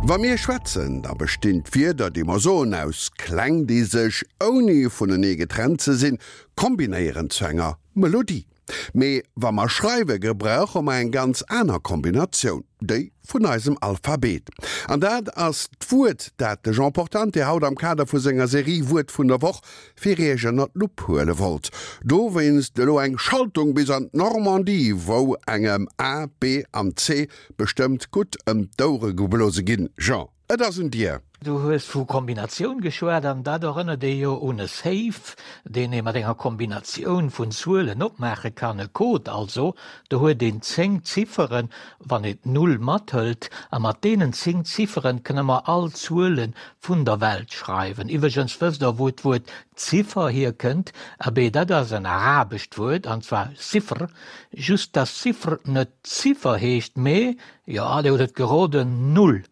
Wa mir schwätzen, da bestinn d'Wierder, déi mer soen, aus Kläng, déi sech, ouni vunenee getrennt ze sinn, kombinéieren zu enger Melodie. Mee wa mer schreiwe gebrauche mer eng ganz aner Kombinatioun, déi vun eisem Alphabet. An dat ass d'Wuert, dat de Jean Portante haut am Kader vu senger Serie Wuert vun der Woch fir Iech ënner d'Lupp huele wollt. Dowéinst elo eng Schaltung bis an d'Normandie, wou engem A, B an C bestëmmt gutt ëm d'Ouere geblose ginn. Jean, et ass un dir! Du hues vu Kombinatioun geschwat, an dat erënnert ee jo un e Safe, deen ee mat enger Kombinatioun vun Zuelen opmaache kann, e Code also. Do huet een 10 Zifferen, wann een d'Null mathëlt, a mat deenen 10 Zifferen kënne mer all Zuele vun der Welt schreiwen. Iwwregens, wësst Der, wou d'Wuert Ziffer hierkënnt? Abee, dat ass en arabescht Wuert, an zwar Sifr. Just dass Sifr net Ziffer heescht, mee, jo, Dir hutt et geroden, Null.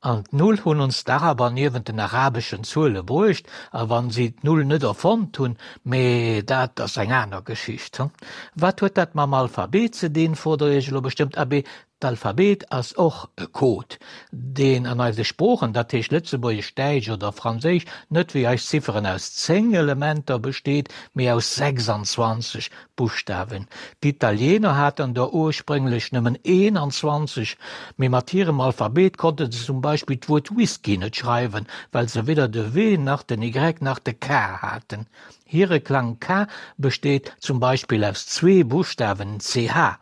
An d'Null hunn ons d'Araber niewent den arabeschen Zuele bruecht, a wann si d'Null net erfonnt hunn, mee dat ass eng aner Geschicht. Wat huet dat mam Alphabet ze dinn, frot der iech elo bestëmmt. Abee, d'Alphabet ass och e Code, deen an eise Sproochen, dat heescht Lëtzebuergesch, Däitsch oder Franséisch, net wéi eis Zifferen aus 10 Elementer besteet, mee aus 26 Buschtawen. D'Italiener haten der ursprénglech nëmmen 21, mee mat hirem Alphabet konnte se zum Beispill d'Wuert Whisky net schreiwen, well se weder de W nach den Y nach de K haten. Hire Klang K besteet zum Beispill aus zwee Buschtawen CH.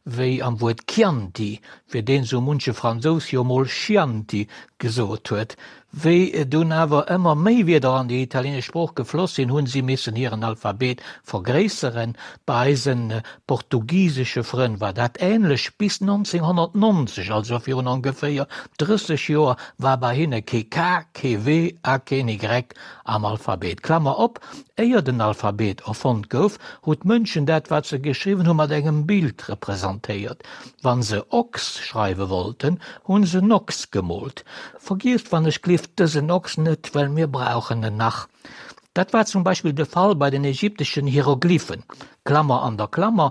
Wéi am Wuert Chianti, fir deen sou munche Fransous jo mol Schianti gesot huet. Wéi dunn awer ëmmer méi Wierder an déi italienesch Sprooch gefloss sinn, hunn si missen hiren Alphabet vergréisseren. Bei eise portugisesche Frënn war dat änlech. Bis 1990, also virun ongeféier 30 Joer, war bei hinne kee K, kee W a keen Y am Alphabet. Klammer op, Éier den Alphabet erfonnt gouf, hu d'Mënschen dat, wat se geschriwwen hu mat engem Bild representéiert. Wa se Ochs schreiwe wollten, hu se en Ochs gemoolt. Vergiesst wann ech glift dësen Ochs net, well mir brauchen en nach. Dat war zum Beispill de Fall bei den ägypteschen Hieroglyphen, Klammer an der Klammer,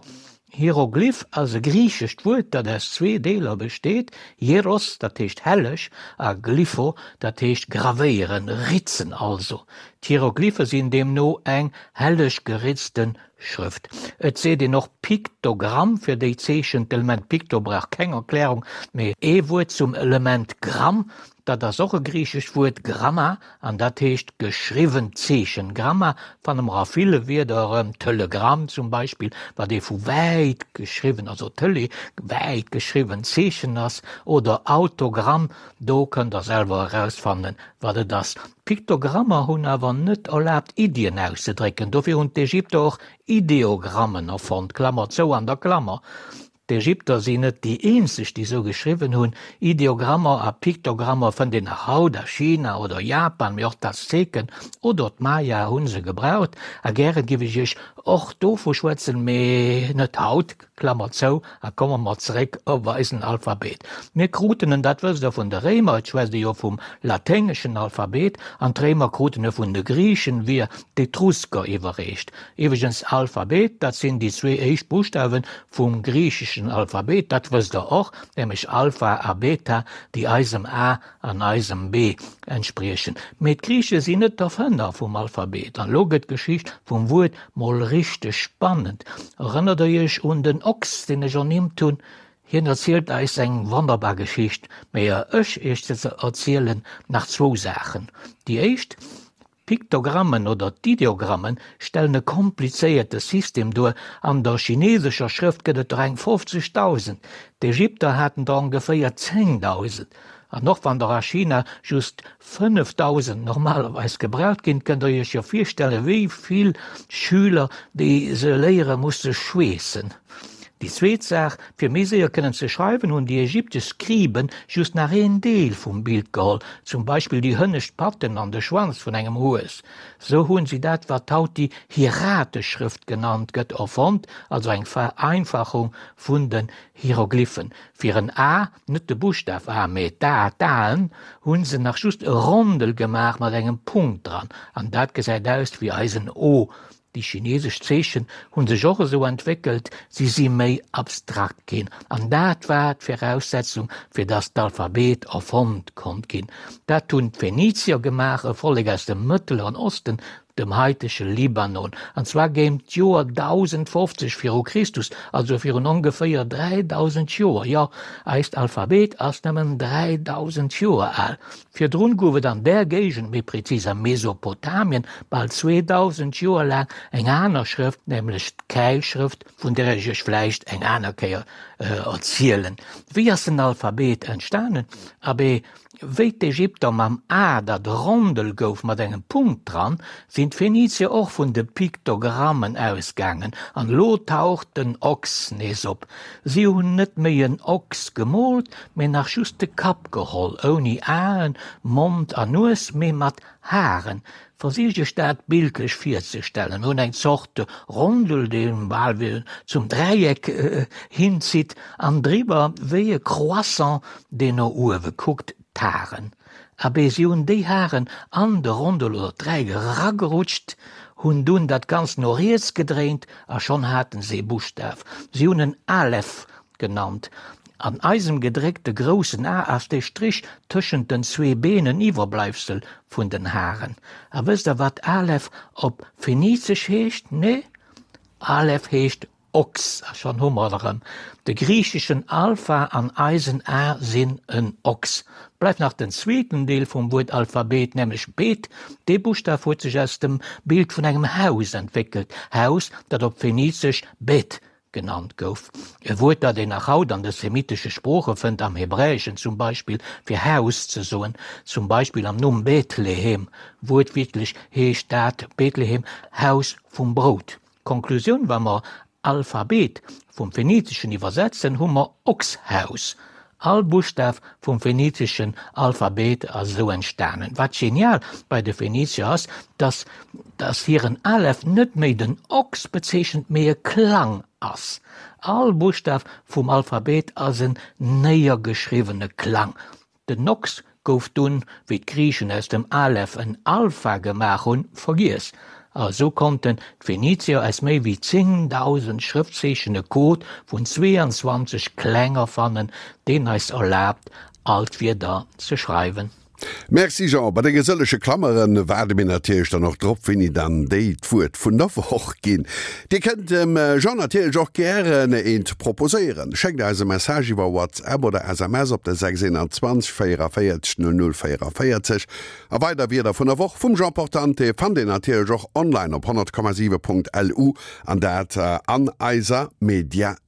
Hieroglyph ass e griichescht Wuert, dat aus zwee Deeler besteet, hieros, dat heescht helleg, a glypho, dat heescht gravéieren, ritzen also. D'Hieroglyphe sinn deemno eng helleg geritzte Schrëft. Et seet een och Piktogramm fir déi Zeechen. D'Element Pikto brauch keng Erklärung, mee ee Wuert zum Element Gramm, Dat ass och e griichescht Wuert, Gramma, an dat heescht geschriwwent Zeechen. Gramma fanne mer a ville Wierder erëm, Telegramm zum Beispill, wat ee vu wäit geschriwwen, also Tele, wäit geschriwwen Zeechen ass, oder Autogramm, do kënnt der selwer erausfannen, wat et ass. D'Piktogrammer hunn awer net erlaabt, Iddien auszedrécken, dofir hunn d'Ägypter och Ideogrammen erfonnt, Klammer zou an der Klammer. D'Ägypter sinn net déi eenzeg, déi sou geschriwwen hunn. Ideogrammer a Piktogrammer fënnt een nach haut a China oder Japan, mee och d'Azteken oder d'Maya hu se gebraucht. A gäre giff ech iech och dovu schwätzen, mee net haut, Klammer zou, a komme mer zeréck op eisen Alphabet. Mir kruten en, dat wësst der, vun de Réimer, et schwätzt ee jo vum laténgeschen Alphabet, an d'Réimer kruten e vun de Griichen via d'Etrusker iwwerreecht. Iwwregens, Alphabet, dat sinn déi zwee éischt Buschtawe vum griicheschen Alphabet, dat wësst der och, nämlech Alpha a Beta, déi eisem A an eisem B entspriechen. Mee d'Griiche sinn net d'Erfënner vum Alphabet. An elo gëtt d'Geschicht vum Wuert mol richteg spannend. Erënnert der iech un den Ochs, deen ech ernimmt hunn? Hien erzielt eis eng wonnerbar Geschicht. Mee ier ech iech se erzielen, nach zwou Saachen. Déi éischt, D'Piktogrammen oder d'Ideogrammen stellen e komplizéierte System duer. An der chinesescher Schrëft gëtt et der eng 50.000, d'Ägypter haten der ongeféier 10.000. An och wann der a China just 5.000 normalerweis gebraucht ginn, kënnt der iech jo virstellen, wéi vill Schüler déi se léiere musse schweessen. Déi zweet Saach, Fir méi séier kënnen ze schreiwen, hunn déi ägyptesch Skriben just nach een Deel vum Bild geholl, zum Beispill déi hënnescht Patten an de Schwanz vun engem Hues. Sou hunn si dat, wat haut déi hieratesch Schrëft genannt gëtt, erfonnt, also eng Vereinfachung vun den Hieroglyphen. Fir en A, net de Buschtaf A, mee d'A, d'Aen, hunn se nach just e Rondel gemaach mat engem Punkt dran, an dat gesäit aus wéi eisen O. Déi chinesesch Zeechen hu sech och esou entwéckelt, si si méi abstrakt ginn. An dat war d'Viraussetzung, fir datt d'Alphabet erfonnt konnt ginn. Dat hunn d'Phenizier gemaach, e Vollek aus dem Mëttleren Osten, dem haitege Libanon, an zwar géint d'Joer 1050 viru Christus, also virun ongeféier 3000 Joer. Jo, eist Alphabet ass nëmmen 3000 Joer al. Virdrun gouf et an där Géigend, méi prezis a Mesopotamien, bal 2000 Joer laang eng aner Schrëft, nämlech d'Käilschrëft, vun där ech iech vläicht eng aner Kéier erzielen. Wéi ass den Alphabet entstanen? Abee, Wéi d'Ägypter mam A, dat Rondel gouf mat engem Punkt dran, sinn d'Phenizier och vun de Piktogrammen ausgaangen. An elo taucht den Ochs nees op. Si hunn net méi en Ochs gemoolt, mee nach just de Kapp geholl, ouni Aen, Mond a Nues, mee mat Haren. Versicht iech dat bildlech virzestellen. Mir hunn eng Zort Rondel, dee bal wéi zum Dräieck hinzitt, an driwwer wéi e Croissant, deen no uewe kuckt, d'Haren. Abee, si hunn déi Haren an de Rondel oder d'Dräieck eragerutscht, hunn dunn dat Ganzt no riets gedréint a schonn haten se e Buschtaf. Si hunn en Aleph genannt. An eisem gedréckte groussen A ass dee Strich tëschent den zwee Been en Iwwerbleibsel vun den Haren. A wësst der wat Aleph op Phenizesch heescht? Nee, Aleph heescht Ochs. A schonn hu mer et erëm, de griicheschen Alpha an eisen A sinn en Ochs. Bleift nach den zweeten Deel vum Wuert Alphabet, nämlech Bet. Dee Buschtaf huet sech aus dem Bild vun engem Haus entwéckelt, Haus, dat op Phenizesch Bet genannt gouf. E Wuert, dat een nach haut an de semitesche Sprooche fënnt, am Hebräeschen zum Beispill, fir Haus ze soen, zum Beispill am Numm Bethlehem. Wuertwiertlech heescht dat Bethlehem Haus vum Brout. Konklusioun, Wa mer Alphabet vum Phenizeschen iwwersetzen, hu mer Ochshaus. All Buschtaf vum phenizeschen Alphabet ass esou entstanen. Wat genial bei de Phenizier ass, dass dass hiren Aleph net méi den Ochs bezeechent, mee e Klang ass. All Buschtaf vum Alphabet ass en néiergeschriwwene Klang. Den Ochs gouf dunn, wéi d'Griichen aus dem Aleph en Alpha gemaach hunn, vergiess. A sou konnten d'Phenizier aus méi wéi 10.000 Schrëftzeechen e Code vun 22 Kläng erfannen, deen eis erlaabt, all d'Wierder ze schreiwen. Merci Jean, bei denge sëllege Klammeren waarde mir natierlech dann och drop, wéini dann déi d'Wuert vun der Woch ginn. Dir kënnt dem Jean natierlech och gären eent proposéieren. Schéckt eis e Message iwwer WhatsApp oder SMS op de 621 44 00 44. A weider Wierder vun der Woch vum Jean Portante fannt Dir natierlech och online op 100,7.lu an dat an eiser Mediathéik.